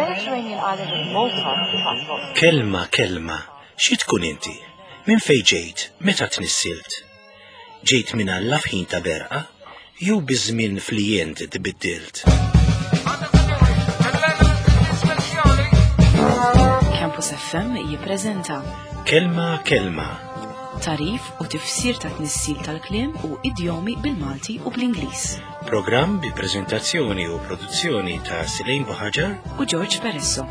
Mediterranean island of Malta attracts Kelma, kelma, xi tkun inti? Minn fejn ġejt? Meta tnissilt? Ġejt minn Alla f'ħin ta' berqa? Jew biż-żmien flijent tbiddilt? Campus FM jippreżenta Kelma, kelma, tarif u tifsir ta' tnissil tal-kliem u idjomi bil-Malti u bl-Ingliż. Programm bi preżentazzjoni u produzzjoni ta' Silejn Buħaġar U George Peresso.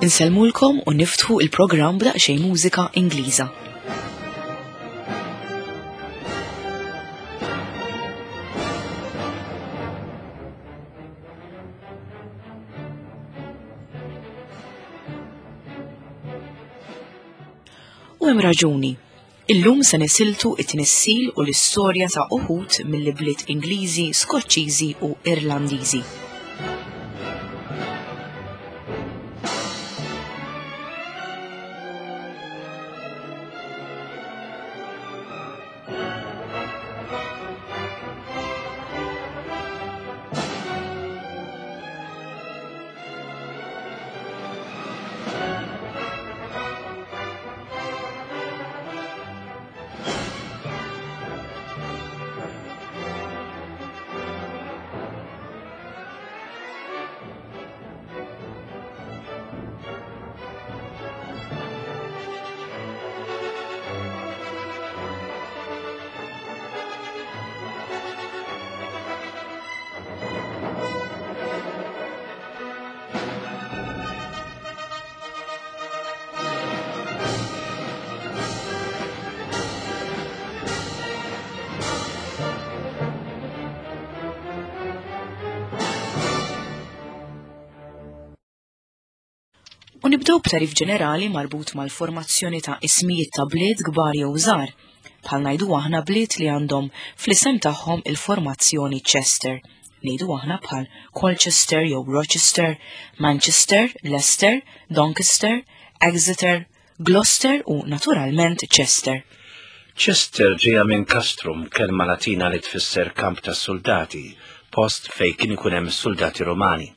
Insellmulkom u niftħu il-programm b'daqsxejn mużika Ingliża. U hemm raġuni. Illum se nisiltu it-tnissil u l-istorja ta' uħud mill-ibliet Ingliżi, Skoċċiżi u Irlandiżi. U nibdew b'tarif ġenerali marbut mal-formazzjoni ta' ismijiet ta' bliet kbar jew żgħar, bħal ngħidu aħna bliet li għandhom fl-isem tagħhom il-formazzjoni Chester, ngħidu aħna bħal Colchester jew Rochester, Manchester, Leicester, Doncaster, Exeter, Gloucester u naturalment Chester. Chester ġejja minn castrum, kelma Latina li tfisser kamp tas-suldati, post fejn kien ikun hemm is-suldati Rumani.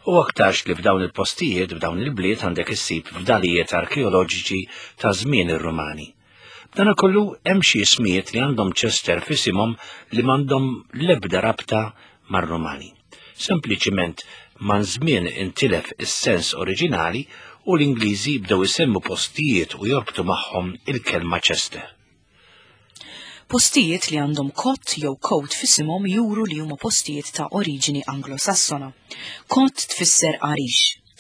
U aktarx li f'dawn il-postijiet, f'dawn il-bliet għandek issib fdalijiet arkeoloġiċi ta' żmien ir-Rumani. B'danakollu hemm xi ismijiet li għandhom Chester f'isimhom li m'għandhom l-ebda rabta mar-Rumani. Sempliċiment maż-żmien intilef is-sens oriġinali u l-Ingliżi bdew isemmu postijiet u jorbtu magħhom il-kelma Chester. Postijiet li għandhom cot jew coat f'isimhom juru li huma postijiet ta' oriġini Anglo-Sassona. Cot tfisser għarix.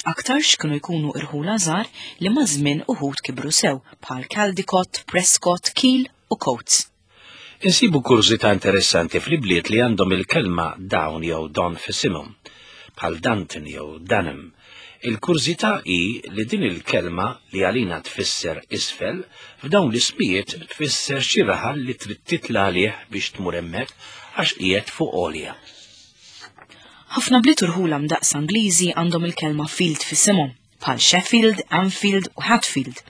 Aktarx kienu jkunu irħula żgħar li maż-żmien uħud kibru sew bħal Caldicott, Prescott, Keel u Coates. Insibu kurżità interessanti fl-ibliet li għandhom il-kelma down jew don f'isimhom, bħal Danton jew Dunham. Il-kurżità hi li din il-kelma li għalina tfisser isfel, f'dawn l-ismijiet tfisser xi raħal li trid titla' għalih biex tmur hemmhekk għax qiegħed fuq għolja. Ħafna bliet u rħula mdaqqsa Ingliżi għandhom il-kelma field f'isimhom, bħal Sheffield, Anfield u Hatfield.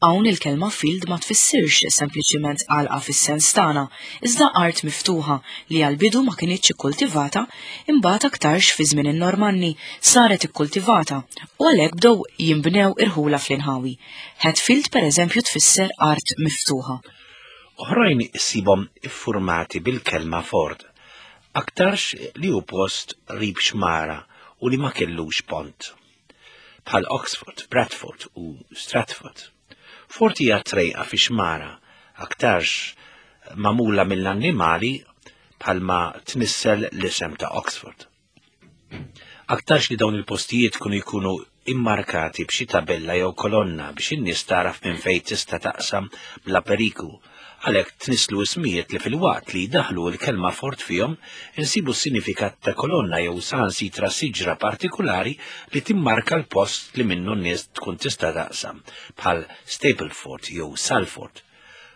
Hawn il-kelma field ma tfissirx sempliċiment għalqa fis-sens tagħna, iżda art miftuħa li għall-bidu ma kinitx ikkultivata, imbagħad aktarx fi żmien in-Normanni saret ikkultivata u għalhekk bdew jinbnew irħula fl-inħawi. Hatfield pereżempju tfisser art miftuħa. Oħrajn issibhom iffurmati bil-kelma ford, aktarx li hu post qrib xmara u li ma kellux pont. Bħal Oxford, Bradford u Stratford. Ford hija trejqa fi xmara, aktarx magħmula mill-annimali bħalma tnissel l-isem ta' Oxford. Aktarx li dawn il-postijiet kienu jkunu immarkati b'xi tabella jew kolonna biex in-nies tagħraf minn fejn tista' taqsam bla periklu. Għalhekk tnisslu ismijiet li filwaqt li jdaħħlu l-kelma fort fihom, insibu s-sinifikat ta' kolonna jew saħansitra siġra partikulari li timmarka l-post li minnu n-nies tkun tista' taqsam, bħal Stapleford jew Salford.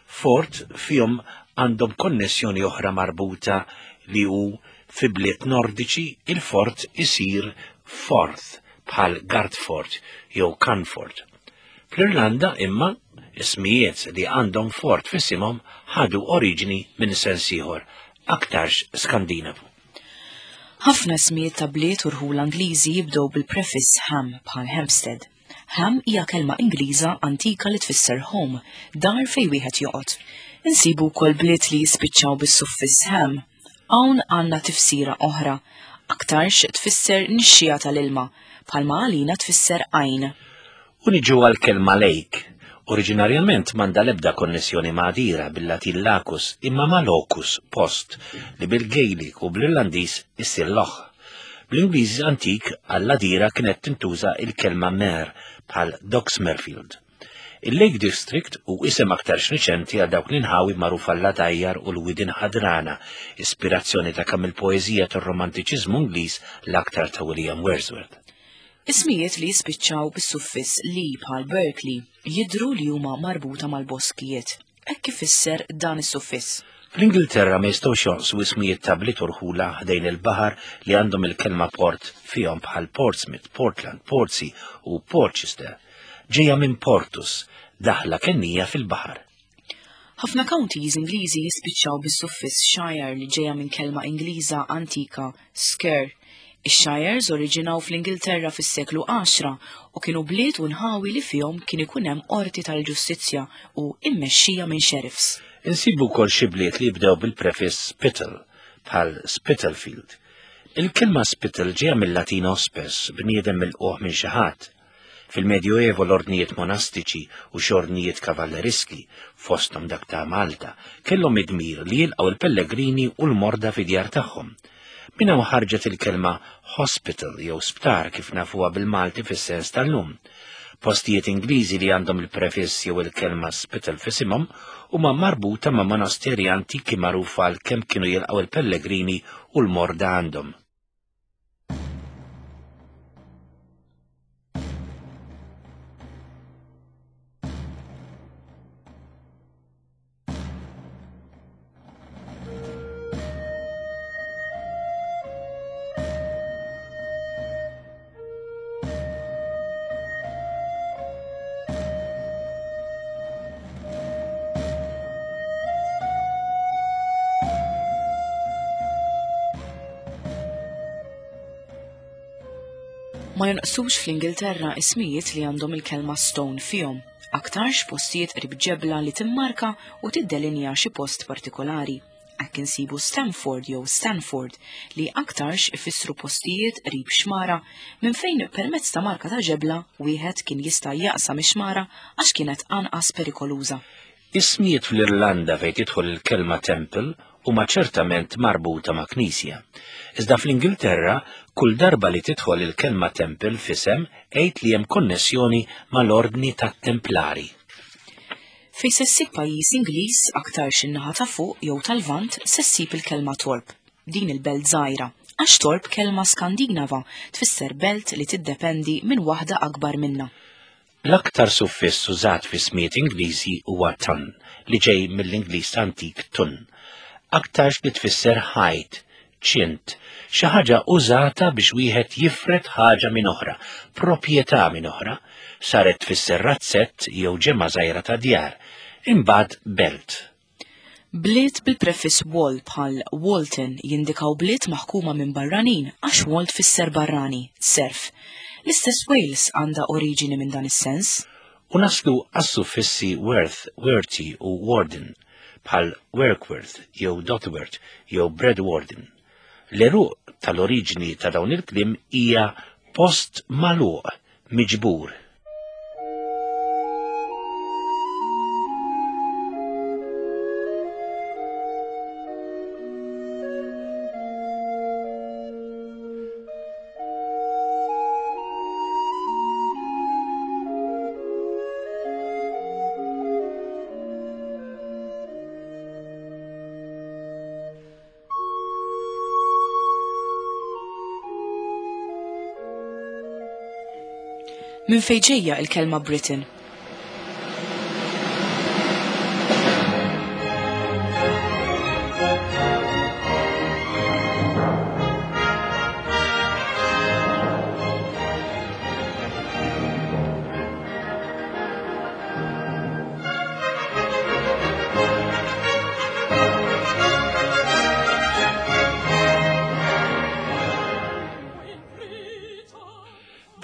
Fort fihom għandhom konnessjoni oħra marbuta li hu fi bliet Nordiċi il-fort isir forth bħal Gartford jew Canford. Fl-Irlanda imma ismijiet li għandhom fort f'isimhom ħadu oriġini minn sens ieħor, aktarx Skandinavu. Ħafna ismijiet ta' bliet u rħula Ingliżi jibdew bil-prefiss Ham bħal Hampstead. Ham hija kelma Ingliża antika li tfisser home, dar fejn wieħed joqgħod. Insibu wkoll bliet li jispiċċaw bis-suffiss ham. Hawn għandna tifsira oħra. Aktarx tfisser nixxiegħa tal-ilma, bħalma għalina tfisser għajn. U niġu għall-kelma lake. Oriġinarjament m'għandha l-ebda konnessjoni ma' għadira bil-Latin lacus imma ma' locus, post, li bil-Gaelic u bl-Irlandiż issir loch. Bl-Ingliż antik għall-għadira kienet tintuża il-kelma mer bħal Doxmerfield. Il-Lake District hu isem aktarx riċenti għal dawk l-inħawi magħrufa l-għadajjar u l-widien ħadrana, ispirazzjoni ta' kemm il-poeżija tar-Romantiċiżmu Ingliż l-aktar ta' William Wordsworth. Ismijiet li jispiċċaw bis-suffiss li bħal Berkeley jidhru li huma marbuta mal-boskijiet. Hekk ifisser dan is-suffiss. Fl-Ingilterra ma jistgħux jonqsu ismijiet ta' bliet u rħula ħdejn il-baħar li għandhom il-kelma port fihom bħal Portsmouth, Portland, Portsea u Portchester. Ġejja minn portus, daħla kennija fil-baħar. Ħafna counties Ingliżi jispiċċaw bis-suffiss shire li ġejja minn kelma Ingliża antika skyr. Ix-shires oriġinaw fl-Ingilterra fis-seklu għaxra u kienu bliet u nħawi li fihom kien ikun hemm qorti tal-ġustizzja u immexxija minn sheriffs. Insibu wkoll xi bliet li jibdew bil-prefiss Spittle, bħal Spitalfield. Il-kelma spittle ġejja mil-Latin hospes, bniedem milqugħ minn xi ħadd. Fil-Medjuevo l-ordnijiet monastiċi u xi ordnijiet kavalleriski, fosthom dak ta' Malta, kellhom id-dmir li jilqgħu l-pellegrini u l-morda fid-djar tagħhom. Minn hawn ħarġet il-kelma hospital jew sptar kif nafuha bil-Malti fis-sens tal-lum. Postijiet Ingliżi li għandhom il-prefiss jew il-kelma spital f'isimhom huma marbuta ma' monasteri antiki magħrufa għal kemm kienu jilqgħu l-pellegrini u l-morda għandhom. Ma jonqsux fl-Ingilterra ismijiet li għandhom il-kelma stone fihom, aktarx postijiet qrib ġebla li timmarka u tiddelinja xi post partikolari. Hekk insibu Stamford jew Stanford li aktarx ifissru postijiet qrib xmara minn fejn permezz ta' marka ta' ġebla wieħed kien jista' jaqsam ix-xmara għax kienet anqas perikoluża. Ismijiet fl-Irlanda fejn tidħol il-kelma temple huma ċertament marbuta ma' knisja. Iżda fl-Ingilterra, kull darba li tidħol il-kelma temple f'isem, għid li hemm konnessjoni mal-Ordni tat-Templari. Fejn se ssib pajjiż Ingliż, aktarx in-naħa ta' fuq jew tal-Lvant, se ssib il-kelma Torp, din il-belt żgħira, għax Torp kelma Skandinava tfisser belt li tiddependi minn waħda akbar minnha. L-aktar suffiss użat fi smiet Ingliżi huwa tun, li ġej mill-Ingliż antik tun, aktarx li tfisser ħajt, ċint, xi ħaġa użata biex wieħed jifred ħaġa minn oħra, proprjetà minn oħra, saret tfisser razzett jew ġemgħa żgħira ta' djar, imbagħad belt. Bliet bil-prefiss wol bħal Walton jindikaw bliet maħkuma minn barranin għax wol tfisser barrani, serf. L-istess Wales għandha oriġini minn dan is-sens. U naslu għas-suffissi worth, worthy u warden, bħal Workworth jew Dotworth jew Bradwarden. L-għeruq tal-oriġini ta' dawn il-kliem hija post magħluq, miġbur. Minn fejn ġejja il-kelma Britain?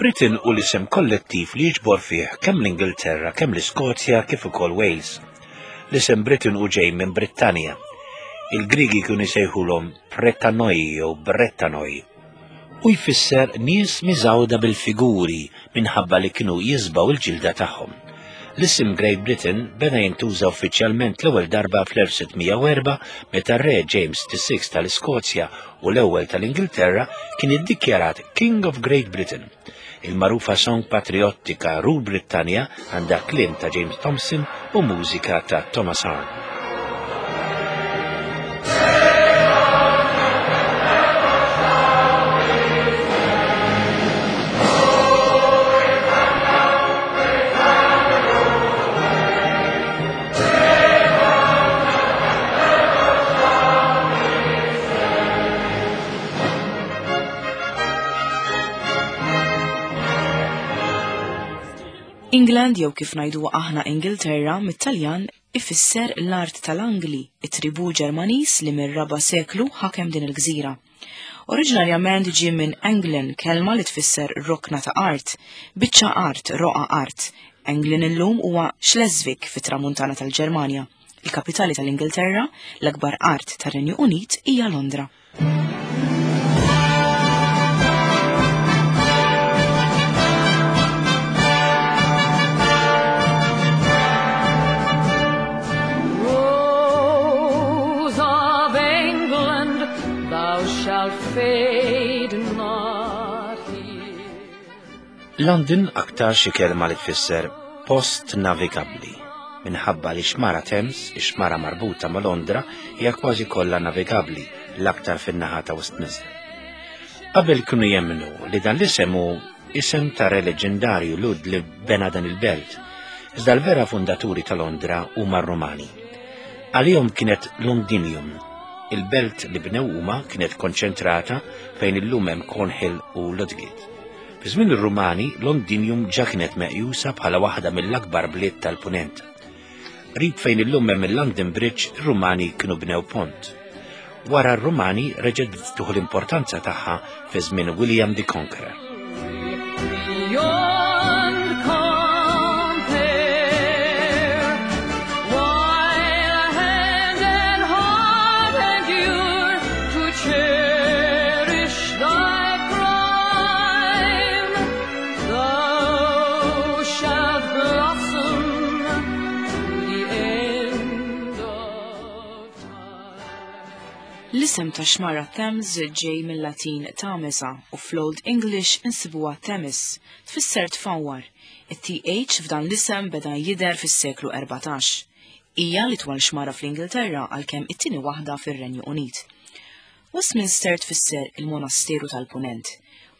Britain hu l-isem kollettiv li jiġbor fih kemm l-Ingilterra, kemm l-Iskozja kif ukoll Wales. L-isem Britain hu ġej minn Brittanja. Il-Griegi kienu jsejħulhom Pretanoi jew Brettanoi. U jfisser nies miżgħuda bil-figuri minħabba li kienu jiżbgħu l-ġilda tagħhom. L-isem Great Britain beda jintuża uffiċjalment l-ewwel darba fl-1604 meta r-Re James VI tal-Iskozja u l-ewwel tal-Ingilterra kien iddikjarat King of Great Britain. Il-magħrufa song patriottika Rule Britannia għandha kliem ta' James Thompson u mużika ta' Thomas Arne. England jew kif ngħidu aħna Ingilterra mit-Taljan ifisser l-art tal-Angli, it-tribù Ġermaniż li mir-raba' seklu ħakem din il-gżira. Oriġinarjament ġie minn Englen, kelma li tfisser rokna ta' art, biċċa art, roqgħa art. Englen illum huwa Schleswig fit-tramuntana tal-Ġermanja. Il-kapitali tal-Ingilterra, l-akbar art tar-Renju Unit, hija Londra. Rose of England, thou shalt fade not here. London aktar xi kelma li tfisser post navigabbli minħabba li xmara Thames, ix-xmara marbuta ma' Londra, hija kważi kollha navigabbli l-aktar fin-naħa ta' Westminster. Qabel kienu jemmnu li dan l-isem hu isem ta' re leġendarju Lud li bena dan il-belt, iżda l-vera fundaturi ta' Londra huma r-Rumani. Għalihom kienet Londinium. Il-belt li bnew huma kienet konċentrata fejn illum hemm Cornhill u Ludgate. Fi żmien ir-Rumani, Londinium ġa kienet meqjusa bħala waħda mill-akbar bliet tal-Punent. Qrib fejn illum hemm il-London Bridge, ir-Rumani kienu bnew pont. Wara r-Rumani reġgħet bdiet tieħu l-importanza tagħha fi żmien William the Conqueror. Beyond compare, while hand and heart endure to cherish thy prime, thou shalt blossom to the end of time. L-isem ta' xmara Thames ġej mill-Latin Tamesa u fl-Old English insibuha Themis, tfisser tfawwar. It-TH f'dan l-isem beda jidher fis-seklu 14. Hija l-itwal xmara fl-Ingilterra għalkemm it-tieni waħda fir-Renju Unit. Westminster tfisser il-Monasteru tal-Punent.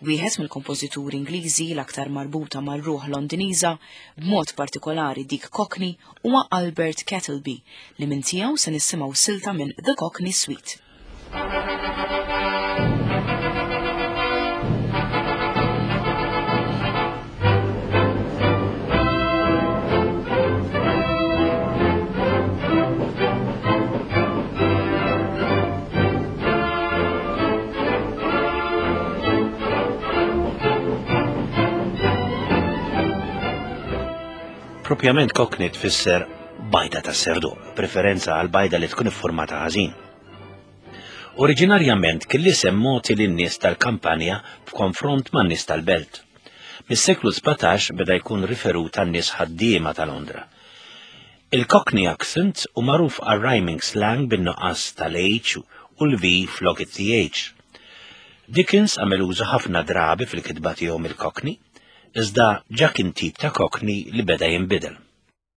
Wieħed mill-kompożituri Ingliżi l-aktar marbuta mar-ruħ Londiniża, b'mod partikolari dik Cockney, huwa Albert Kettleby, li minn tiegħu se nisimgħu silta minn The Cockney Suite. Propjament Cockney tfisser bajda ta' serdu, preferenza għal bajda li tkun iffurmata ħażin. Oriġinarjament kien l-isem mogħti lin-nies tal-kampanja f'konfront man-nies tal-belt. Mis-seklu 17 beda jkun riferut għan-nies ħaddiema ta' Londra. Il-Cockney accent hu magħruf għar-rhyming slang bin-nuqqas tal-H u l-V flok it-TH. Dickens għamel użu ħafna drabi fil-kitba tiegħu mill-Cockney, iżda ġa kien tip ta' Cockney li beda jinbidel.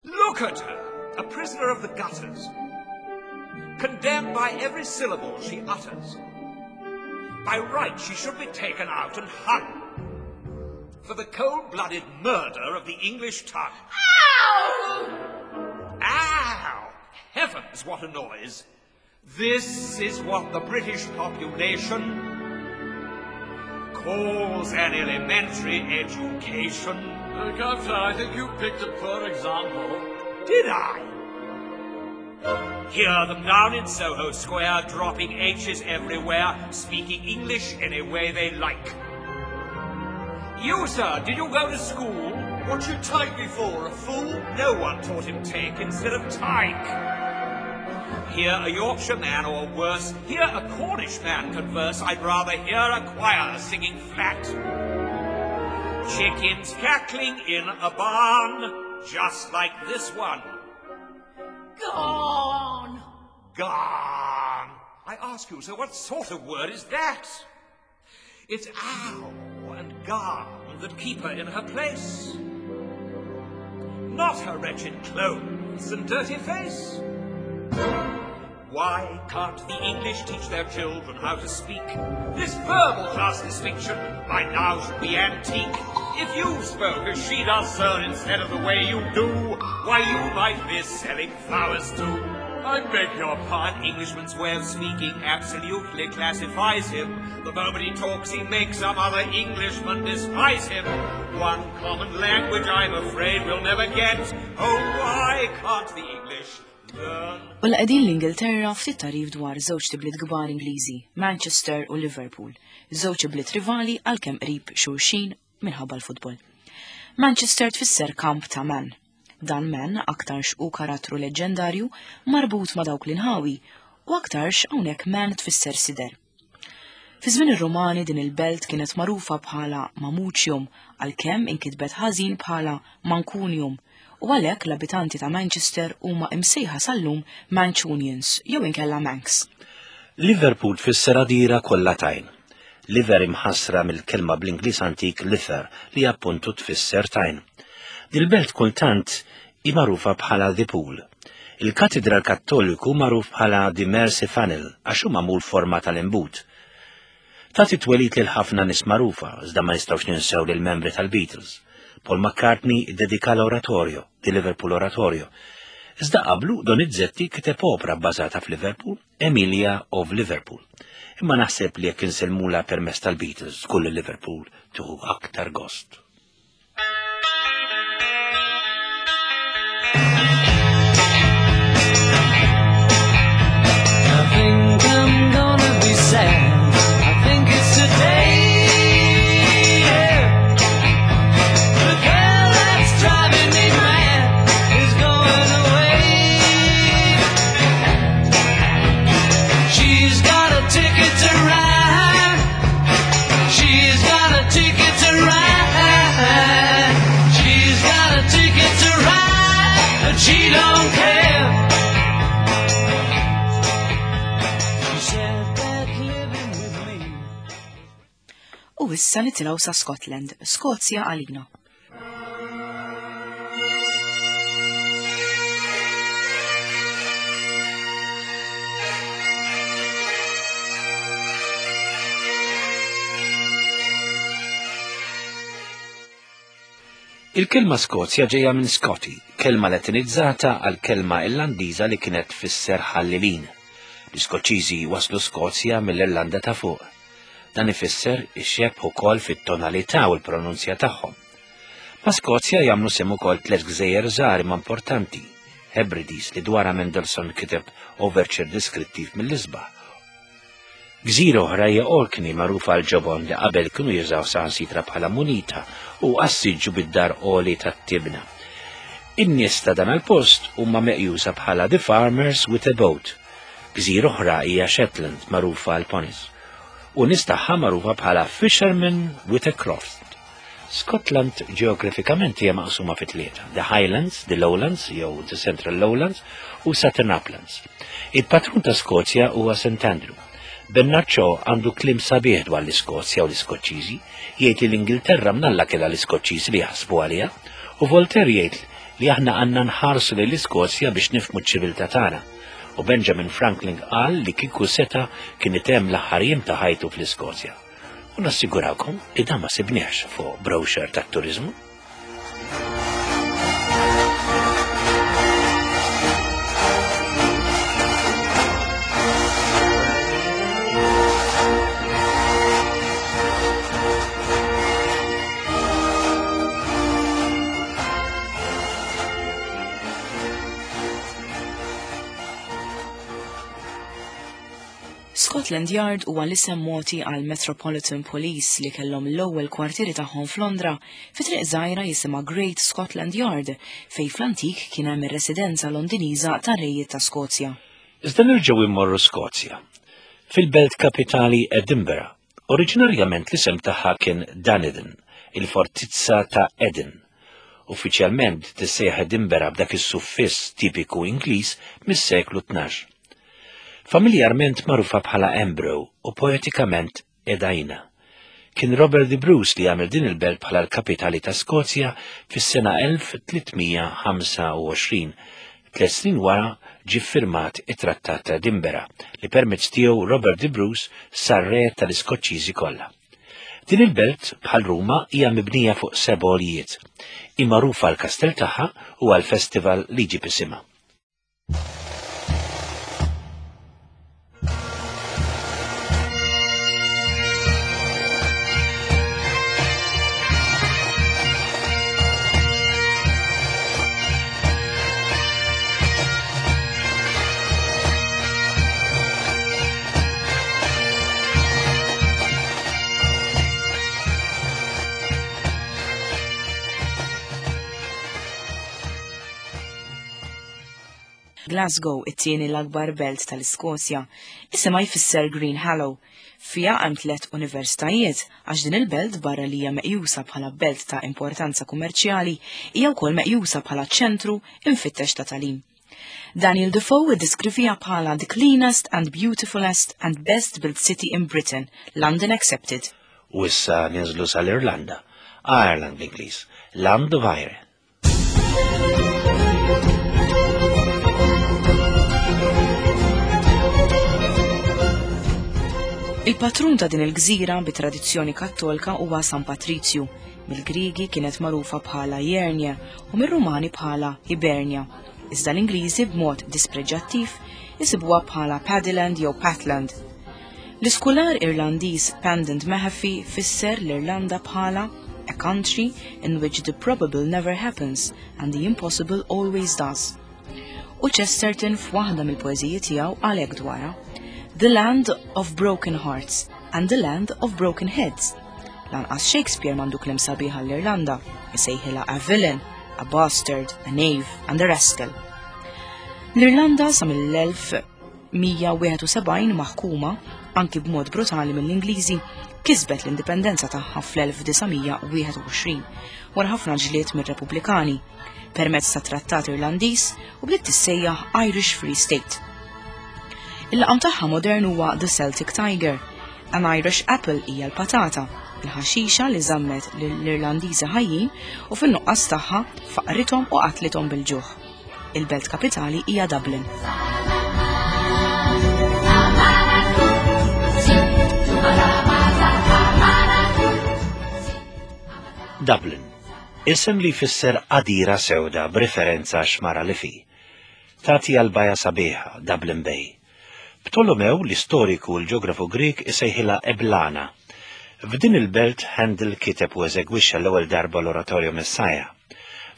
Look at her, a prisoner of the gutters, condemned by every syllable she utters. By right she should be taken out and hung for the cold-blooded murder of the English tongue. Ow! Ow! Heavens, what a noise! This is what the British population calls an elementary education. Uh, Governor, I think you picked a poor example. Did I? Hear them down in Soho Square, dropping H's everywhere, speaking English any way they like. You, sir, did you go to school? What you take me for, a fool? No one taught him take instead of tyke. Hear a Yorkshire man, or worse, hear a Cornish man converse, I'd rather hear a choir singing flat. Chickens cackling in a barn, just like this one. Gone! Gone! I ask you, sir, what sort of word is that? It's ow and garn that keep her in her place. Not her wretched clothes and dirty face. Why can't the English teach their children how to speak? This verbal class distinction by now should be antique. If you spoke as she does, sir, instead of the way you do, why you might be selling flowers too. I beg your pardon. An Englishman's way of speaking absolutely classifies him. The moment he talks, he makes some other Englishman despise him. One common language I'm afraid we'll never get. Oh, why can't the English learn? U la qegħdin l-Ingilterra ftit tagħrif dwar żewġt ibliet kbar Ingliżi, Manchester u Liverpool, żewġ ibliet rivali għalkemm qrib xulxin minħabba l-futbol. Manchester tfisser kamp ta' Man. Dan Man aktarx hu karattru leġġendarju marbut ma' dawk l-inħawi u aktarx hawnhekk Man tfisser sider. Fi żmien ir-Rumani din il-belt kienet magħrufa bħala Mamucium għalkemm inkitbet ħażin bħala Mancunium u għalhekk l-abitanti ta' Manchester huma imsejħa sal-lum Mancunians jew inkella Manx. Liverpool tfisser għadira kollha tajn. Liver imħassra mill-kelma bl-Ingliż antik lifer li appuntu tfisser tajn. Dil-belt kultant hi magħrufa bħala The Pool. Il-Katidral Kattoliku magħruf bħala The Mersey Funnel għax hu magħmul forma tal-imbut. Tagħti twelid lil ħafna nies magħrufa, iżda ma nistgħux ninsew lil membri tal-Beatles. Paul McCartney iddedika l-oratorio, The Liverpool Oratorio. Iżda qablu Donizetti kiteb opra bbażata f'Liverpool, Emilia of Liverpool. Imma naħseb li jekk insellmulha permezz tal-Beatles, żgur li Liverpool tieħu aktar gost. I think I'm gonna be sad. I think it's today. Yeah. The girl that's driving me mad is going away. She's got a ticket to ride. She's got a ticket to ride. She's got a ticket to ride, but she don't care. She said that living with me. U issa nitilgħu sa Scotland, Skozja għalina. Il-kelma Skozja ġejja minn Scotti, kelma Latinizzata għal kelma Irlandiża li kienet tfisser ħallelin. L-Iskoċċiżi waslu Skozja mill-Irlanda ta' fuq. Dan ifisser ix-xebh ukoll fit-tonalità u l-pronunzja tagħhom. Ma' Skozja jagħmlu sehem ukoll tliet gżejjer żgħar imma importanti, Hebrides li dwarha Mendelssohn kiteb overture deskrittiv mill-isbaħ. Gżira oħra hija Orkney magħrufa għall-ġobon li qabel kienu jużaw saħansitra bħala munita u għas-siġġu bid-dar għoli tat-tibna. In-nies ta' dan il-post huma meqjusa bħala the farmers with a boat. Gżira oħra hija Shetland magħrufa għall-ponies u nies tagħha magħrufa bħala fishermen with a croft. Scotland ġeografikament hija maqsuma fi tlieta, the Highlands, the Lowlands jew the Central Lowlands u Southern Uplands. Il-patrun ta' Skozja huwa St. Andrew. Bernard Shaw għandu kliem sabiħ dwar l-Iskozja u l-Iskoċċiżi, jgħid li l-Ingilterra mnalla kellha l-Iskoċċiżi li jaħsbu għaliha, u Voltaire jgħid li aħna għandna nħarsu lejn l-Iskozja biex nifhmu ċ-ċiviltà tagħna. U Benjamin Franklin qal li kieku seta' kien itemm l-aħħar jiem ta' ħajtu fl-Iskozja. U nassigurawkom li dan ma sibniex fuq brochure tat-turiżmu. Scotland Yard huwa l-isem mogħti għal Metropolitan Police li kellhom l-ewwel kwartieri tagħhom f'Londra fi triq żgħira jisimha Great Scotland Yard fejn fl-antik kien hemm ir-residenza Londiniża tar-rejiet ta' Skozja. Iżda nerġgħu immorru Skozja. Fil-belt kapitali Edinburgh, oriġinarjament l-isem tagħha kien Dunedin, il-fortizza ta' Eden. Uffiċjalment tissejjaħ Edinburgh b'dak is-suffiss tipiku Ingliż mis-seklu 12. Familjarment magħrufa bħala Embro u poetikament Edina. Kien Robert the Bruce li għamel din il-belt bħala l-kapitali ta' Skozja fis-sena 1325. Tliet snin wara ġie ffirmat it-Trattat ta' Edinburgh li permezz tiegħu Robert the Bruce sar re tal-Iskoċċiżi kollha. Din il-belt, bħal Ruma, hija mibnija fuq seba' għoljiet. Hi magħrufa għall-kastell tagħha u għall-festival li jġib isimha. Glasgow, it-tieni l-akbar belt tal-Iskozja. Isimha jfisser Green Hallow. Fiha hemm tliet universitajiet għax din il-belt barra li hija meqjusa bħala belt ta' importanza kummerċjali hija wkoll meqjusa bħala ċentru imfittex ta' tagħlim. Daniel Defoe iddeskriviha bħala the cleanest and beautifulest and best built city in Britain, London accepted. U issa ninżlu sal-Irlanda, Ireland bl-Ingliż, Land of Eire. Il-patrun ta' din il-gżira bi tradizzjoni kattolka huwa San Patrizju. Mill-Griegi kienet magħrufa bħala Jernia u mir-Rumani bħala Hibernia. Iżda l-Ingliżi b'mod dispreġġattiv isibuha bħala Paddyland jew Patland. L-iskular Irlandiż Pandant Mahaffy fisser l-Irlanda bħala a country in which the probable never happens and the impossible always does. U Chesterton f'waħda mill-poeżiji tiegħu qal hekk dwarha, The land of broken hearts and the land of broken heads. Lanqas Shakespeare m'għandu kliem sabiħ għall-Irlanda, isejħilha a villain, a bastard, a knave and a rascal. L-Irlanda sa mill-1000 171 maħkuma, anki b'mod brutali mill-Ingliżi, kisbet l-indipendenza tagħha fl-1921 wara ħafna ġlied mir-Repubblikani permezz ta' Trattat Irlandiż u bdiet tissejjaħ Irish Free State. Il-laqam tagħha modern huwa The Celtic Tiger. An Irish Apple hija l-patata, il-ħaxixa li żammet lill-Irlandiżi ħajjin u fin-nuqqas tagħha faqrithom u qatlithom bil-ġuħ. Il-belt kapitali hija Dublin. Dublin, isem li jfisser għadira sewda b'referenza xmara li fi. Tagħti għal baja sabiħa, Dublin Bay. Ptolomew, l-istoriku u l-ġeografu Grieg isejħilha Eblana. F'din il-belt Handel kiteb u eżegwixxa l-ewwel darba l-oratorju Messiah.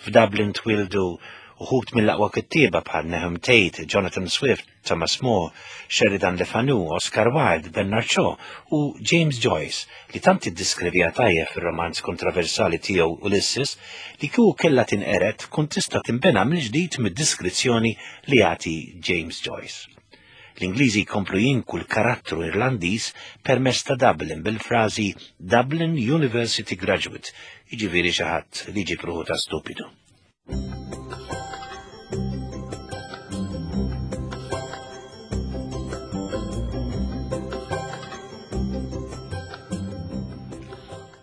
F'Dublin twieldu uħud mill-aqwa kittieba bħal Nahum Tate, Jonathan Swift, Thomas More, Sheridan Le Fanu, Oscar Wilde, Bernard Shaw u James Joyce li tant iddiskrivija tajjeb fir-romanz kontroversali tiegħu Ulysses li kieku kellha tinqered tkun tista' tinbena mill-ġdid mid-diskrizzjoni li jagħti James Joyce. L-Ingliżi jkomplu jinku l-karattru Irlandiż permezz ta' Dublin bil-frażi Dublin University Graduate, jiġifieri xi ħadd li jġib ruħu ta' stupidu.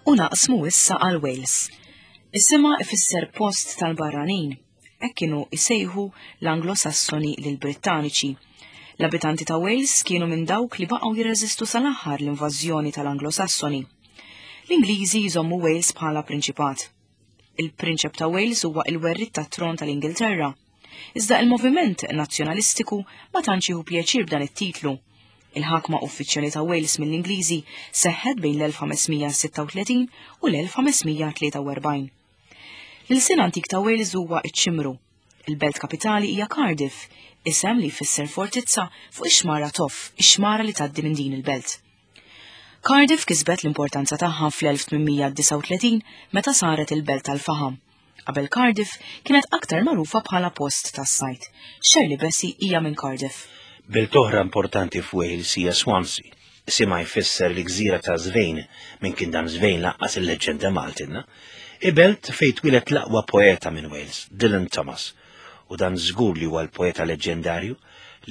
U naqsmu issa għal Wales. Isimha ifisser post tal-barranin. Hekk kienu jsejħu l-Anglo-Sassoni lill-Brittaniċi. L-abitanti ta' Wales kienu minn dawk li baqgħu jirreżistu sal-aħħar l-invażjoni tal-Anglo-Sassoni. L-Ingliżi jżommu Wales bħala prinċipat. Il-Prinċep ta' Wales huwa il-werriet tat-tron tal-Ingilterra. Iżda il-moviment nazzjonalistiku ma tantx jieħu pjaċir b'dan it-titlu. Il-ħakma uffiċjali ta' Wales mill-Ingliżi seħħet bejn l-1536 u l-1543. L-ilsien antik ta' Wales huwa ċ-Ċimru. Il-belt kapitali hija Cardiff, isem li jfisser fortizza fuq ix-xmara Toff, ix-xmara li tgħaddi minn din il-belt. Cardiff kisbet l-importanza tagħha fl-1839 meta saret il-belt tal-faħam. Qabel Cardiff kienet aktar magħrufa bħala post tas-sajd. Shirley Bassey hija minn Cardiff. Belt oħra importanti f'Wales hija Swansea. Isimha jfisser l-gżira ta' Żvejn, min kien dan Żvejn lanqas il-leġġenda Maltinna. Hi belt fejn twieled l-aqwa poeta minn Wales, Dylan Thomas. U dan żgur li huwa l-poeta leġġendarju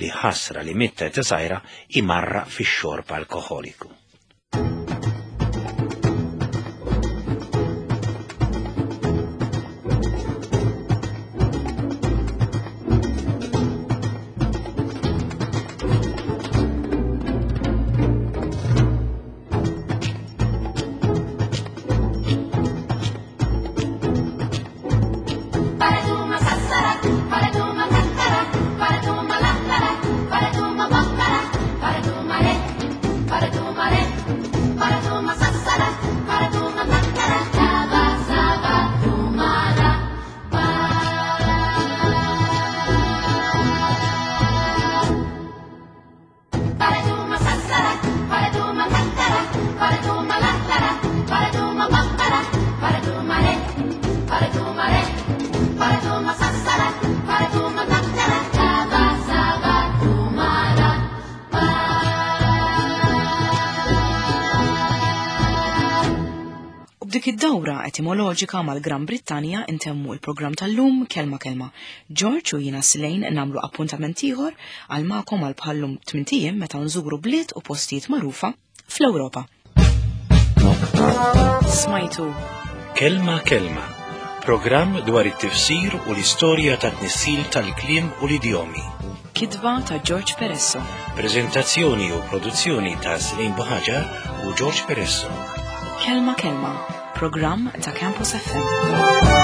li ħasra li miet ta' età żgħira imarraq fix-xorb alkoħoliku. U b'dik id-dawra etimoloġika mal-Gran Brittanja intemmu il-programm tal-lum Kelma Kelma. George u jiena Slane nagħmlu appuntament ieħor għal magħkom għal bħallum tmint ijiem meta nżuru bliet u postijiet magħrufa fl-Ewropa. Smajtu Kelma Kelma, programm dwar it-tifsir u l-istorja tat-tnissil tal-kliem u l-idjomi. Kitba ta' George Peresso. Prezentazzjoni u produzzjoni ta' Slane Buhaġar u George Peresso. Kelma Kelma, programm ta' Campus FM.